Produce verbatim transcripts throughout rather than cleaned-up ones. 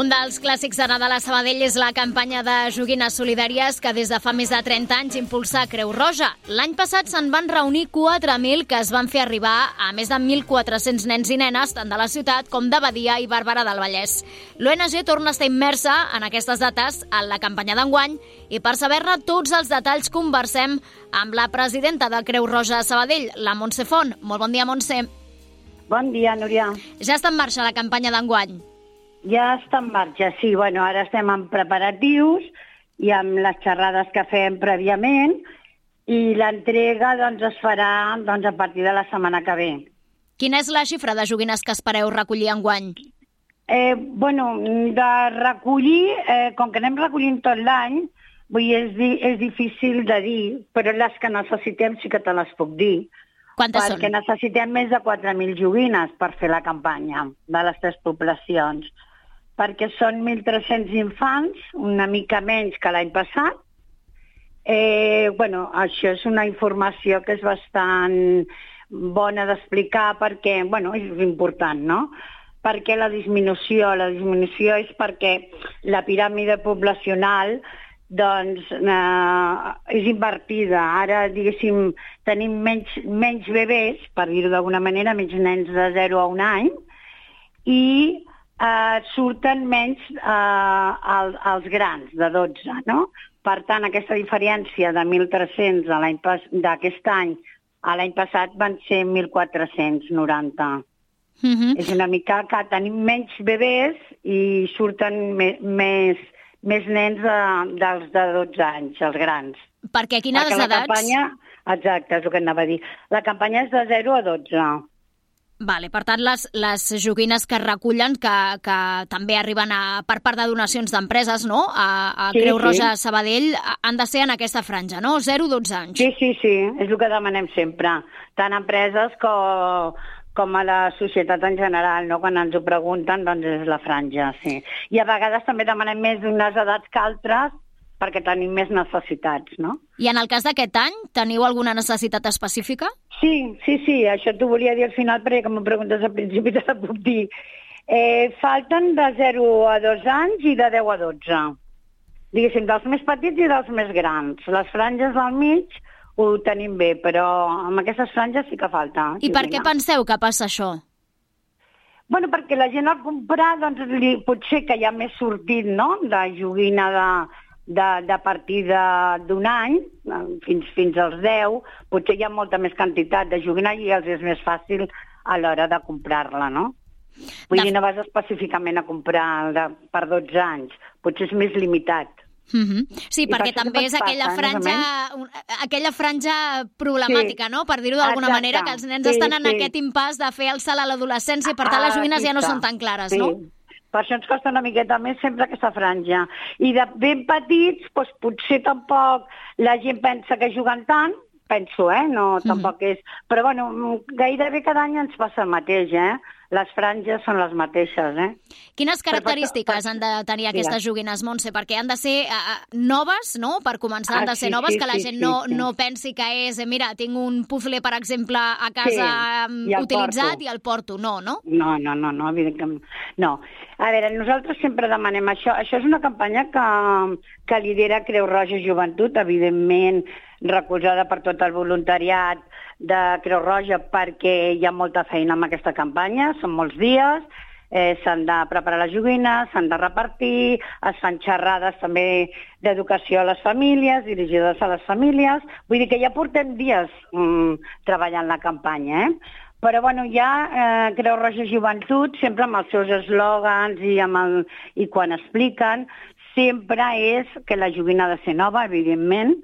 Un dels clàssics de Nadal a Sabadell és la campanya de joguines solidàries que des de fa més de trenta anys impulsa Creu Roja. L'any passat se'n van reunir quatre mil que es van fer arribar a més de mil quatre-cents nens i nenes, tant de la ciutat com de Badia i Barberà del Vallès. L'O N G torna a estar immersa en aquestes dates en la campanya d'enguany i per saber-ne tots els detalls conversem amb la presidenta de Creu Roja a Sabadell, la Montse Font. Molt bon dia, Montse. Bon dia, Núria. Ja està en marxa la campanya d'enguany? Ja està en marxa, sí. Bueno, ara estem en preparatius i amb les xerrades que fem prèviament i l'entrega doncs, es farà doncs, a partir de la setmana que ve. Quina és la xifra de joguines que espereu recollir enguany? Eh, bueno, de recollir, eh, com que anem recollint tot l'any, vull dir, és, di és difícil de dir, però les que necessitem sí que te les puc dir. Quantes perquè són? necessitem més de quatre mil joguines per fer la campanya de les tres poblacions. Perquè són mil tres-cents infants, una mica menys que l'any passat. Eh, bueno, això és una informació que és bastant bona d'explicar perquè, bueno, és important, no? Perquè la disminució, la disminució és perquè la piràmide poblacional doncs eh, és invertida. Ara, diguéssim, tenim menys, menys bebès, per dir-ho d'alguna manera, menys nens de zero a un any, i eh, surten menys eh, el, els grans, de dotze, no? Per tant, aquesta diferència de mil tres-cents d'aquest any a l'any passat van ser mil quatre-cents noranta. Uh-huh. És una mica que tenim menys bebès i surten me, més, més nens de, dels de dotze anys, els grans. Perquè quines Perquè la edats? campanya, exacte, és el que anava a dir. La campanya és de zero a dotze. Vale, per tant, les, les joguines que es recullen, que, que també arriben a, per part de donacions d'empreses, no?, a, a Sí, Creu sí. Roja a Sabadell, han de ser en aquesta franja, no?, zero a dotze anys. Sí, sí, sí, és el que demanem sempre. Tant empreses com, com a la societat en general, no? Quan ens ho pregunten, doncs és la franja, sí. I a vegades també demanem més d'unes edats que altres, perquè tenim més necessitats, no? I en el cas d'aquest any, teniu alguna necessitat específica? Sí, sí, sí, això t'ho volia dir al final, perquè com em preguntes al principi te la puc dir. Eh, falten de zero a dos anys i de deu a dotze. Diguéssim, dels més petits i dels més grans. Les franges del mig ho tenim bé, però amb aquestes franges sí que falta. I per joguina. què penseu que passa això? Bueno, perquè la gent al comprar, doncs, li, potser que hi ha més sortit, no?, de joguina de, de, de partir d'un any, fins, fins als deu, potser hi ha molta més quantitat de joguina i els és més fàcil a l'hora de comprar-la, no? Vull De... dir, no vas específicament a comprar de, per dotze anys, potser és més limitat. Uh-huh. Sí, I perquè per això també també és aquella passa, franja, un, aquella franja problemàtica, Sí. no?, per dir-ho d'alguna Exacte. manera, que els nens Sí, estan en sí. aquest impàs de fer el salt a l'adolescència i per tant les Ah, joguines aquí ja no està. són tan clares, Sí. no? Per això ens costa una miqueta més sempre aquesta franja. I de ben petits, doncs, potser tampoc la gent pensa que juguen tant, penso, eh? No, tampoc és... Però, bueno, gairebé cada any ens passa el mateix, eh? Les franges són les mateixes, eh? Quines Per- per- característiques per- han de tenir Digues. aquestes joguines, Montse? Perquè han de ser uh, noves, no?, per començar han Ah, de ser sí, noves, sí, que la sí, gent sí, no, sí. no pensi que és, eh, mira, tinc un puzzle, per exemple, a casa Sí, um, i el utilitzat porto. i el porto. No, no? No, no, no, no, evidentment. No. A veure, nosaltres sempre demanem això. Això és una campanya que, que lidera Creu Roja Joventut, evidentment recolzada per tot el voluntariat de Creu Roja, perquè hi ha molta feina amb aquesta campanya, són molts dies, eh, s'han de preparar les joguines, s'han de repartir, es fan xerrades també d'educació a les famílies, dirigides a les famílies. Vull dir que ja portem dies mm, treballant la campanya, eh? Però bueno, ja eh, Creu Roja Joventut, sempre amb els seus eslògans i, amb el, i quan expliquen, sempre és que la joguina ha de ser nova, evidentment.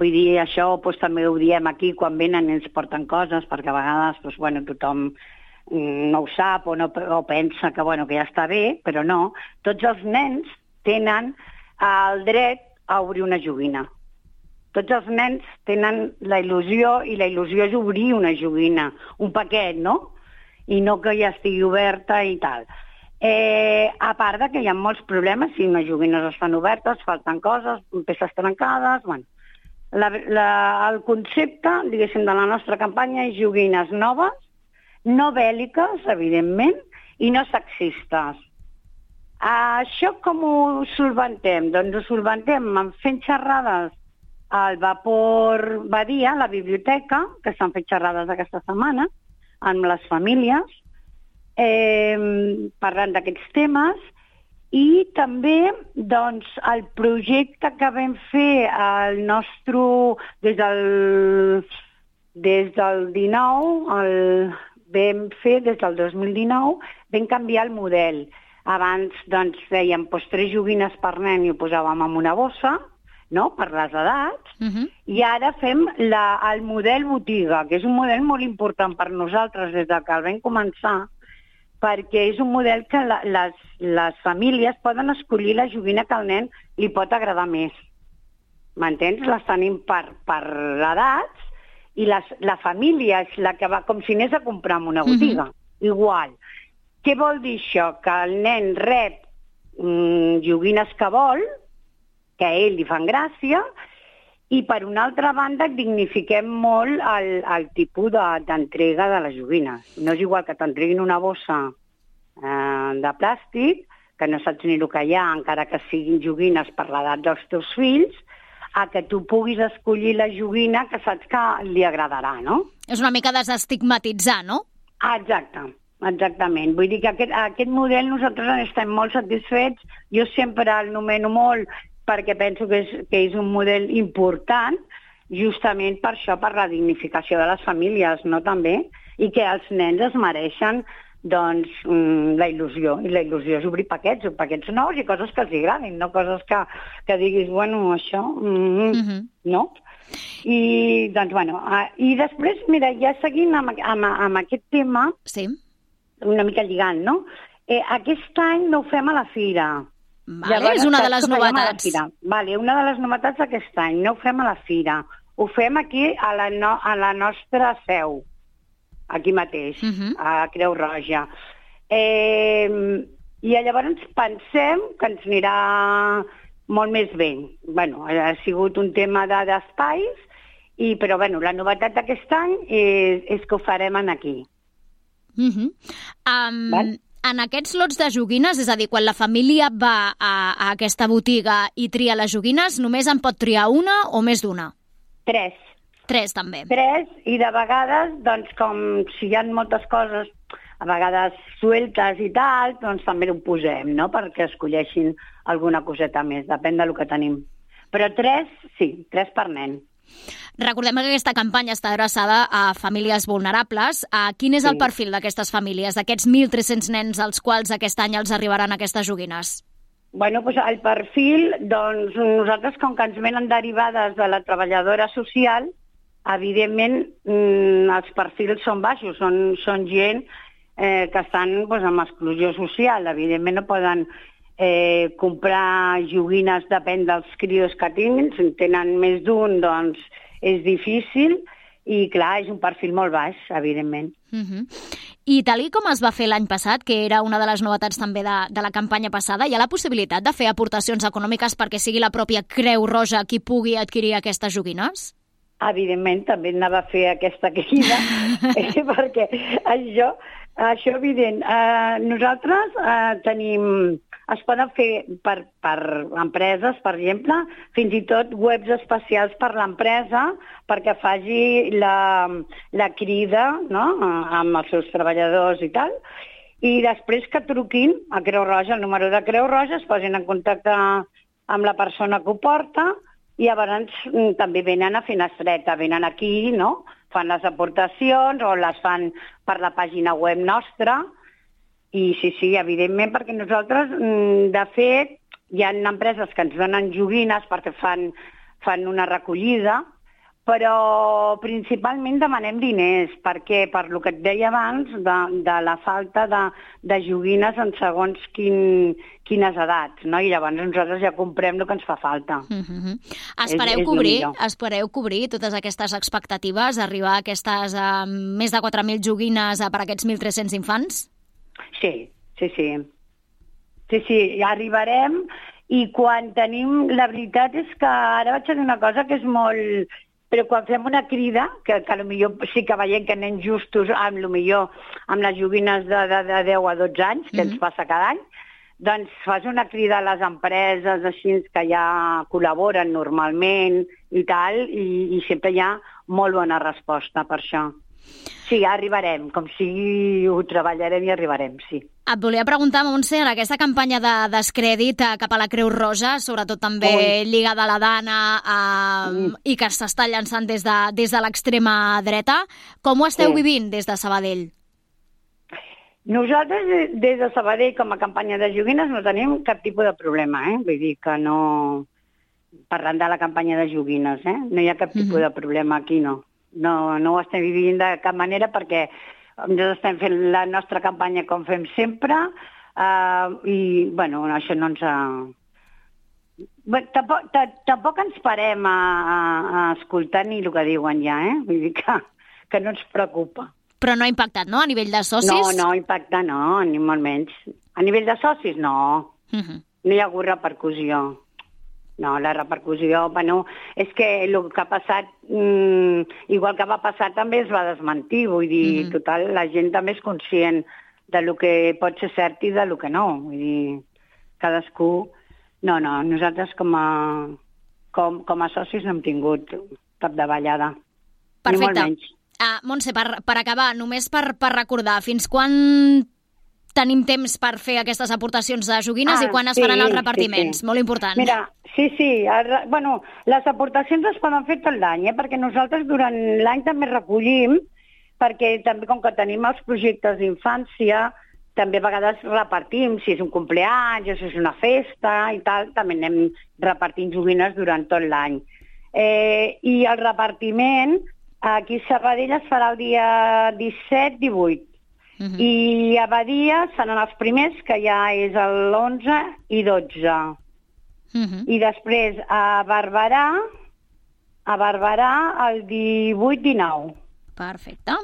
Vull dir, això doncs, també ho diem aquí quan venen i ens porten coses, perquè a vegades doncs, bueno, tothom mm, no ho sap o, no, o pensa que, bueno, que ja està bé, però no. Tots els nens tenen el dret a obrir una joguina. Tots els nens tenen la il·lusió, i la il·lusió és obrir una joguina, un paquet, no? I no que ja estigui oberta i tal. Eh, a part de que hi ha molts problemes, si unes joguines estan obertes, falten coses, peces trencades, bueno. La, la, el concepte, diguéssim, de la nostra campanya és joguines noves, no bèl·liques, evidentment, i no sexistes. Això com ho solventem? Doncs ho solventem fent xerrades al Vapor Badia, a la biblioteca, que s'han fet xerrades aquesta setmana, amb les famílies, eh, parlant d'aquests temes, i també doncs, el projecte que vam fer el nostre, des del, des del dinou, el, vam fer des del dos mil dinou, vam canviar el model. Abans doncs, fèiem doncs, tres joguines per nen i ho posàvem en una bossa, no?, per les edats, uh-huh. I ara fem la, el model botiga, que és un model molt important per nosaltres des que el vam començar, perquè és un model que la, les, les famílies poden escollir la joguina que al nen li pot agradar més. M'entens? Les tenim per, per edats i les, la família és la que va com si anés a comprar en una botiga. Uh-huh. Igual. Què vol dir això? Que el nen rep mm, joguines que vol, que a ell li fan gràcia, i per una altra banda dignifiquem molt el, el tipus de, d'entrega de les joguines. No és igual que t'entreguin una bossa eh, de plàstic, que no saps ni el que hi ha, encara que siguin joguines per l'edat dels teus fills, a que tu puguis escollir la joguina que saps que li agradarà, no? És una mica desestigmatitzar, no? Ah, exacte. Exactament. Vull dir que aquest, aquest model nosaltres estem molt satisfets. Jo sempre el nomeno molt perquè penso que és, que és un model important, justament per això, per la dignificació de les famílies, no també? I que els nens es mereixen doncs, la il·lusió. I la il·lusió és obrir paquets, paquets nous i coses que els agradin, no coses que, que diguis, bueno, això, mm, uh-huh. no? I, doncs, bueno, i després, mira, ja seguint amb, amb, amb aquest tema, sí. Una mica lligant, no? Eh, aquest any no ho fem a la fira. Vale, Llavors, és una de les novetats. Vale, una de les novetats d'aquest any. No ho fem a la fira. Ho fem aquí a la, no, a la nostra seu, aquí mateix, uh-huh. a Creu Roja. Eh, I llavors pensem que ens anirà molt més bé. Bueno, ha sigut un tema de, d'espais, i, però bueno, la novetat d'aquest any és, és que ho farem aquí. Uh-huh. Um, en aquests lots de joguines, és a dir, quan la família va a, a aquesta botiga i tria les joguines, només en pot triar una o més d'una? Tres. Tres, també. Tres, i de vegades, doncs, com si hi ha moltes coses, a vegades sueltes i tal, doncs també ho posem, no?, perquè escolleixin alguna coseta més, depèn del que tenim. Però tres, sí, tres per nen. Recordem que aquesta campanya està adreçada a famílies vulnerables. Quin és el sí. perfil d'aquestes famílies, d'aquests mil tres-cents nens als quals aquest any els arribaran aquestes joguines? Bueno, doncs el perfil, doncs nosaltres, com que ens venen derivades de la treballadora social, evidentment mmm, els perfils són baixos, són, són gent eh, que estan doncs, amb exclusió social. Evidentment no poden eh, comprar joguines, depèn dels crios que tinguin. Si tenen més d'un, doncs és difícil i, clar, és un perfil molt baix, evidentment. Uh-huh. I tal com es va fer l'any passat, que era una de les novetats també de, de la campanya passada, hi ha la possibilitat de fer aportacions econòmiques perquè sigui la pròpia Creu Roja qui pugui adquirir aquestes joguines? Evidentment, també anava a fer aquesta crida, eh, perquè això, això evident. Eh, nosaltres eh, tenim... Es poden fer per, per empreses, per exemple, fins i tot webs especials per l'empresa perquè faci la, la crida, no?, amb els seus treballadors i tal, i després que truquin a Creu Roja, el número de Creu Roja, es posin en contacte amb la persona que ho porta i llavors també venen a Finestreta, venen aquí, no?, fan les aportacions o les fan per la pàgina web nostra. I sí, sí, evidentment, perquè nosaltres, de fet, hi ha empreses que ens donen joguines perquè fan, fan una recollida, però principalment demanem diners, perquè per lo que et deia abans, de, de la falta de, de joguines en segons quin, quines edats, no? I llavors nosaltres ja comprem el que ens fa falta. Uh-huh. Espereu, és, cobrir, és espereu cobrir totes aquestes expectatives, arribar a aquestes uh, més de quatre mil joguines uh, per a aquests mil tres-cents infants? Sí, sí, sí. Sí, sí, ja arribarem i quan tenim... La veritat és que ara vaig a dir una cosa que és molt... Però quan fem una crida, que, que potser sí que veiem que anem justos amb, millor, amb les joguines de, de, de deu a dotze anys, que mm-hmm. ens passa cada any, doncs fas una crida a les empreses així que ja col·laboren normalment i tal, i, i sempre hi ha molt bona resposta per això. Sí, arribarem, com sigui ho treballarem i arribarem, sí. Et volia preguntar, Montse, en aquesta campanya de descrèdit cap a la Creu Roja, sobretot també Ui. lligada a la Dana eh, mm. i que s'està llançant des de, des de l'extrema dreta, com ho esteu sí. vivint des de Sabadell? Nosaltres, des de Sabadell, com a campanya de joguines, no tenim cap tipus de problema, eh? Vull dir que no... Parlant de la campanya de joguines, eh? No hi ha cap tipus mm-hmm. de problema aquí, no. No, no ho estem vivint de cap manera perquè nosaltres estem fent la nostra campanya com fem sempre uh, i, bueno, això no ens ha... Bé, tampoc, tampoc ens parem a, a, a escoltar ni el que diuen ja, eh? Vull dir que, que no ens preocupa. Però no ha impactat, no?, a nivell de socis? No, no impacta, no, ni molt menys. A nivell de socis, no. Uh-huh. No hi ha hagut repercussió. No, la repercussió, bueno, és que el que ha passat, mmm, igual que va passar, també es va desmentir. Vull dir, mm-hmm. total, la gent també és conscient de lo que pot ser cert i de lo que no. Vull dir, cadascú... No, no, nosaltres com a, com, com a socis no hem tingut cap davallada. Perfecte. Ni molt menys. Uh, Montse, per, per acabar, només per, per recordar, fins quan tenim temps per fer aquestes aportacions de joguines ah, i quan es sí, faran els repartiments? Sí, sí. Molt important. Mira, sí, sí. El, bueno, les aportacions es poden fer tot l'any, eh? Perquè nosaltres durant l'any també recollim, perquè també com que tenim els projectes d'infància, també a vegades repartim, si és un cumpleaños, si és una festa i tal, també anem repartint joguines durant tot l'any. Eh, I el repartiment aquí a Sabadell es farà el dia disset divuit. Uh-huh. I a Badia seran els primers, que ja és l'onze i dotze. Uh-huh. I després a Barberà, a Barberà el divuit dinou. Perfecte.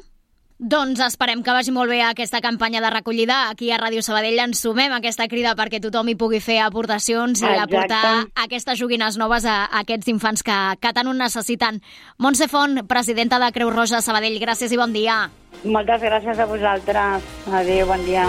Doncs esperem que vagi molt bé aquesta campanya de recollida. Aquí a Ràdio Sabadell ens sumem a aquesta crida perquè tothom hi pugui fer aportacions i Exacte. aportar aquestes joguines noves a, a aquests infants que, que tant ho necessiten. Montse Font, presidenta de Creu Roja Sabadell, gràcies i bon dia. Moltes gràcies a vosaltres. Adéu, bon dia.